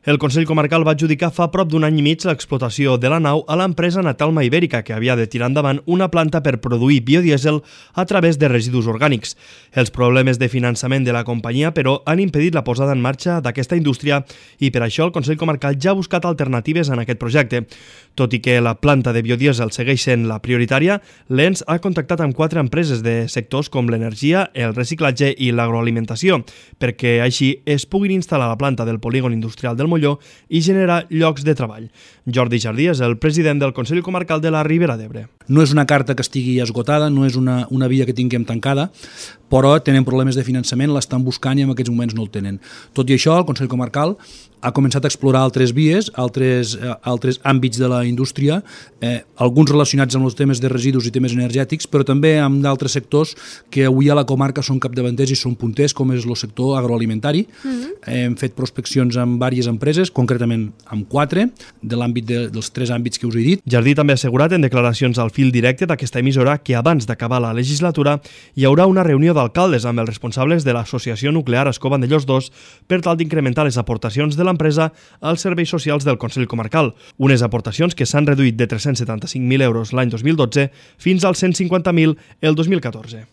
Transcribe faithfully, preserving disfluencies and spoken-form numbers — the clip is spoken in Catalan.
El Consell Comarcal va adjudicar fa prop d'un any i mig l'explotació de la nau a l'empresa Natalma Ibèrica, que havia de tirar endavant una planta per produir biodièsel a través de residus orgànics. Els problemes de finançament de la companyia, però, han impedit la posada en marxa d'aquesta indústria i per això el Consell Comarcal ja ha buscat alternatives en aquest projecte. Tot i que la planta de biodièsel segueix sent la prioritària, l'E N S ha contactat amb quatre empreses de sectors com l'energia, el reciclatge i l'agroalimentació, perquè així es puguin instal·lar a la planta del polígon industrial del Molló i generar llocs de treball. Jordi Jardí és el president del Consell Comarcal de la Ribera d'Ebre. No és una carta que estigui esgotada, no és una, una via que tinguem tancada, però tenen problemes de finançament, l'estan buscant i en aquests moments no el tenen. Tot i això, el Consell Comarcal ha començat a explorar altres vies, altres, eh, altres àmbits de la indústria, eh, alguns relacionats amb els temes de residus i temes energètics, però també amb d'altres sectors que avui a la comarca són capdavanters i són punters, com és el sector agroalimentari. Mm-hmm. Hem fet prospeccions amb diverses empreses, concretament amb quatre, de l'àmbit de, dels tres àmbits que us he dit. Jardí també ha assegurat en declaracions al fil directe d'aquesta emissora que abans d'acabar la legislatura hi haurà una reunió d'alcaldes amb els responsables de l'Associació Nuclear Ascó Vandellòs dos per tal d'incrementar les aportacions de l'empresa als serveis socials del Consell Comarcal, unes aportacions que s'han reduït de tres-cents setanta-cinc mil euros l'any dos mil dotze fins als cent cinquanta mil el dos mil catorze.